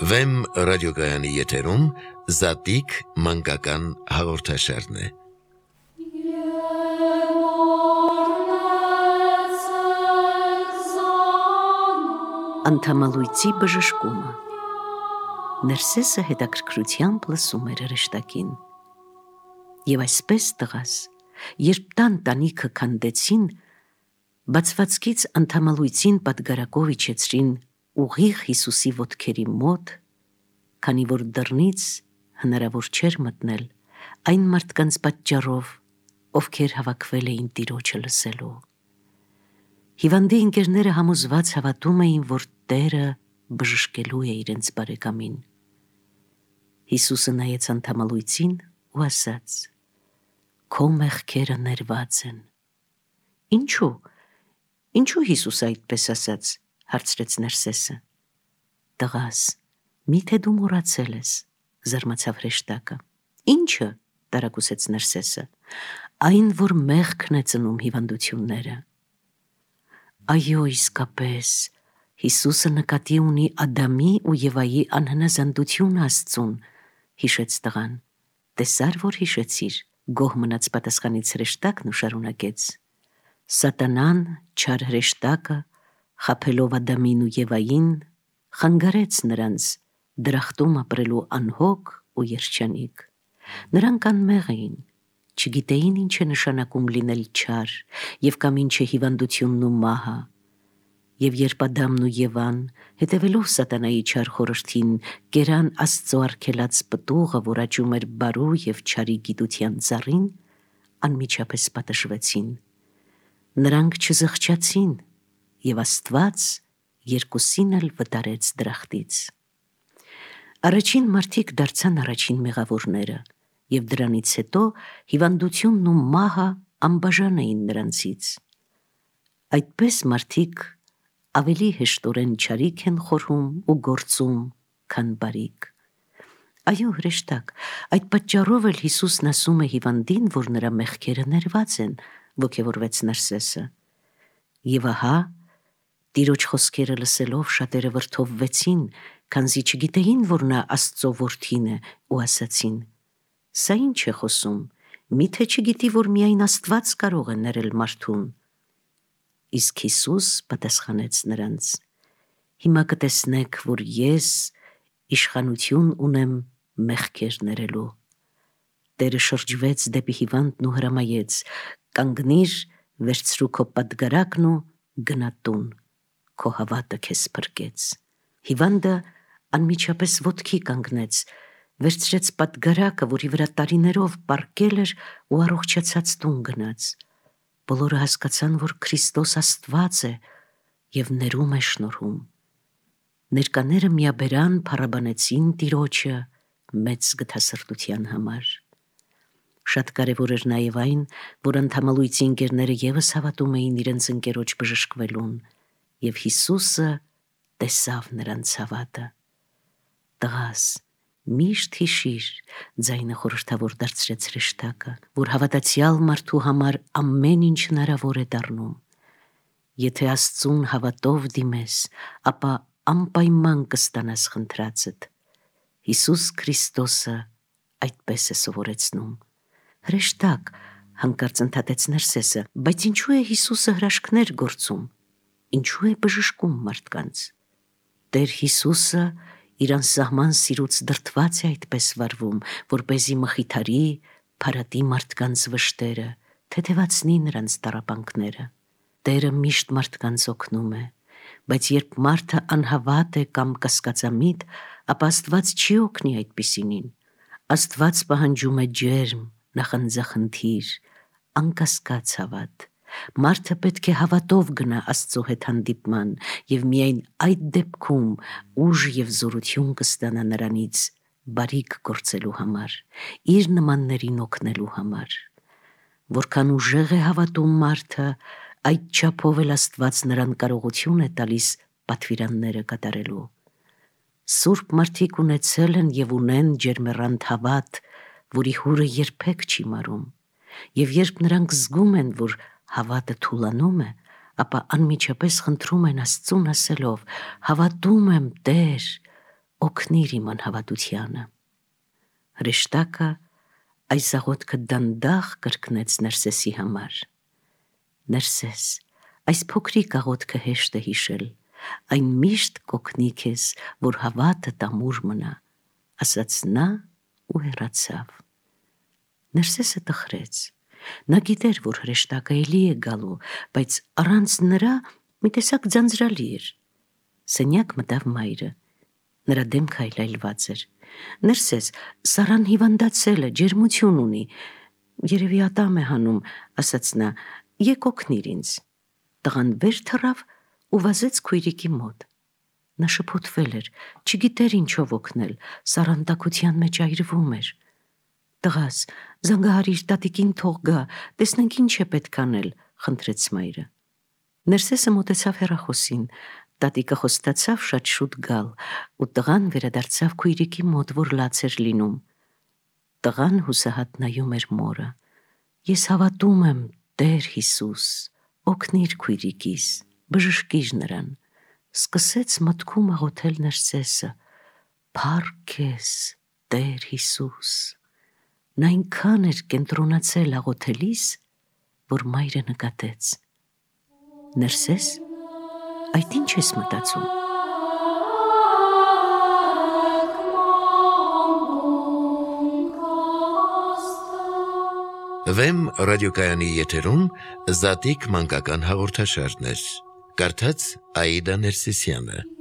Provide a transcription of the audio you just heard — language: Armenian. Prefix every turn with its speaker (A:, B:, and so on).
A: Վեմ ռադիոգայանի եթերում Զատիկ մանկական հաղորդաշարն է։
B: Անդամալույցի բժշկումը։ Ներսեսը հետաքրքրությամբ լսում էր հրեշտակին։ Եվ այսպես տղաս, երբ տան տանիքը քանդեցին, բացվածքից անդամալույցին պատգարակով իջեցրին ուղիղ Հիսուսի ոտքերի մոտ, քանի որ դռնից հնարավոր չէր մտնել այն մարդկանց պատճառով, ովքեր հավաքվել էին Տիրոջը լսելու։ Հիվանդի ընկերները համոզված հավատում էին, որ Տերը բժշկելու է իրենց բարեկամին։ Հիսուսը նայեց անդամալույցին ու ասաց. «Քո մեղքերը ներված են»։ Ինչու Հիսուսը այդպես ասաց, հարցրեց Ներսեսը։ Տղաս, միթե դու մոռացել ես, զարմացավ հրեշտակը։ Ինչը, տարակուսեց Ներսեսը, այն, որ մեղքն է ծնում հիվանդությունները։ Այո, իսկապես, Հիսուսը նկատի ունի Ադամի ու Եվայի անհնազանդությունը Աստծուն, հիշեց տղան։ Տեսար, որ հիշեցիր, գոհ մնաց պատասխանից հրեշտակն ու շարունակեց. Սատանան, չար հրեշտակը, խաբելով Ադամին ու Եվային, խանգարեց նրանց դրախտում ապրելու անհոգ ու երջանիկ։ Նրանք անմեղ էին, չգիտեին ինչ է նշանակում լինել չար և կամ ինչ է հիվանդությունն ու մահը։ Եվ երբ Ադամն ու Եվան, հետևելով սատանայի չար խորհրդին, կերան Աստծո արգելած պտուղը, որ աճում էր բարու և չարի գիտության ծառին, անմիջապես պատժվեցին։ Նրանք չզղջացին, և Աստված երկուսին էլ վտարեց դրախտից։ Առաջին մարդիկ դարձան առաջին մեղավորները, և դրանից հետո հիվանդությունն ու մահը անբաժան էին նրանցից։ Այդպես մարդիկ ավելի հեշտորեն չարիք են խորհում ու գործում, քան բարիք։ Այո, հրեշտակ, այդ պատճառով էլ Հիսուսն ասում է հիվանդին, որ նրա մեղքերը ներված են, ոգևորվեց Ներսեսը։ Եվ ահա, Տիրոջ խոսքերը լսելով շատերը վրդովվեցին, քանզի չգիտեին, որ նա Աստծո որդին է, ու ասացին. Սա ինչ է խոսում, միթե չգիտի, որ միայն Աստված կարող է ներել մարդուն։ Իսկ Հիսուս պատասխանեց նրանց. Հիմա կտեսնեք, որ ես իշխանություն ունեմ մեղքեր ներելու։ Տերը շրջվեց դեպի հիվանդն ու հրամայեց. կանգնիր, վերցրու քո պատգարակն ու գնա տուն, քո հավատը քեզ փրկեց։ Հիվանդը անմիջապես ոտքի կանգնեց, վերցրեց պատգարակը, որի վրա տարիներով պառկել էր, ու առողջացած տուն գնաց։ Բոլորը հասկացան, որ Քրիստոս Աստված է և ներում է շնորհում։ Ներկաները միաբերան փառաբանեցին Տիրոջը մեծ գթասրտության համար։ Շատ կարևոր էր նաև այն, որ անդամալույցի ընկերները ևս հավատում էին իրենց ընկերոջ բժշկվելուն, և Հիսուսը տեսավ նրանց հավատը։ Տղաս, միշտ հիշիր, ձայնը խորհրդավոր դարձրեց հրեշտակը, որ հավատացյալ մարդու համար ամեն ինչ հնարավոր է դառնում։ Եթե Աստծուն հավատով դիմես, ապա անպայման կստանաս խնդրածդ։ Հիսուս Քրիստոսը այդպես է սովորեցնում։ Հրեշտակ, հանկարծ ընդհատեց Ներսեսը, բայց ինչու է Հիսուսը հրաշքներ գործում, ինչու է բժշկում մարդկանց։ Տեր Հիսուսը իր անսահման սիրուց դրդված է այդպես վարվում, որպեսզի մխիթարի, փարատի մարդկանց վշտերը, թեթևացնի նրանց տառապանքները։ Տերը միշտ մարդկանց օգնում է, բայց երբ մարդը անհավատ է կամ կասկածամիտ, ապա Աստված չի օգնի այդպիսինին։ Աստված պահանջում է ջերմ, նախանձախնդիր, անկասկած հավատ։ Մարդը պետք է հավատով գնա Աստծո հետ հանդիպման, և միայն այդ դեպքում ուժ և զորություն կստանա նրանից բարիք գործելու համար, իր նմաններին օգնելու համար։ Որքան ուժեղ է հավատում մարդը, այդ չափով էլ Աստված նրան կարողություն է տալիս պատվիրանները կատարելու։ Սուրբ մարդիկ ունեցել են և ունեն ջերմեռանդ հավատ, որի հուրը երբեք չի մարում, և երբ նրանք զգում են, որ հավատը թուլանում է, ապա անմիջապես խնդրում են Աստծուն ասելով. «Հավատում եմ, Տեր, օգնիր իմ անհավատությանը։ Հրեշտակը այս աղոթքը դանդաղ կրկնեց Ներսեսի համար։ Ներսես, այս փոքրիկ աղոթքը հեշտ է հիշել, այն միշտ կօգնի քեզ, որ հավատդ ամուր մնա, ասաց նա ու հեռացավ։ Ներսեսը տխրեց։ Նա գիտեր, որ հրեշտակը էլի է գալու, բայց առանց նրա մի տեսակ ձանձրալի էր։ Սենյակ մտավ մայրը։ Նրա դեմքը այլայլված էր։ Ներսես, Սարան հիվանդացել է, ջերմություն ունի։ Երևի ատամ է հանում, ասաց նա, եկ օգնիր ինձ։ Տղան վեր թռավ ու վազեց քույրիկի մոտ։ Նա շփոթվել էր, չգիտեր ինչով օգնել, Սարան տաքության մեջ այրվում էր։ Տղաս, զանգահարիր, տատիկին թող գա, տեսնենք ինչ է պետք անել, խնդրեց մայրը։ Ներսեսը մոտեցավ հեռախոսին, տատիկը խոստացավ շատ շուտ գալ, ու տղան վերադարձավ քույրիկի մոտ, որ լաց էր լինում։ Տղան հուսահատ նայում էր մորը։ Ես հավատում եմ, Տեր Հիսուս, օգնիր քույրիկիս, բժշկիր նրան։ Սկսեց մտքում աղոթել Ներսեսը. Փառք քեզ, Տեր Հիսուս։ Նա այնքան էր կենտրոնացել աղոթելիս, որ մայրը նկատեց. Ներսես, այդ ինչ ես մտածում։
A: Վեմ ռադիոկայանի եթերում Զատիկ մանկական հաղորդաշարներ։ Կարդաց Աիդա Ներսիսյանը։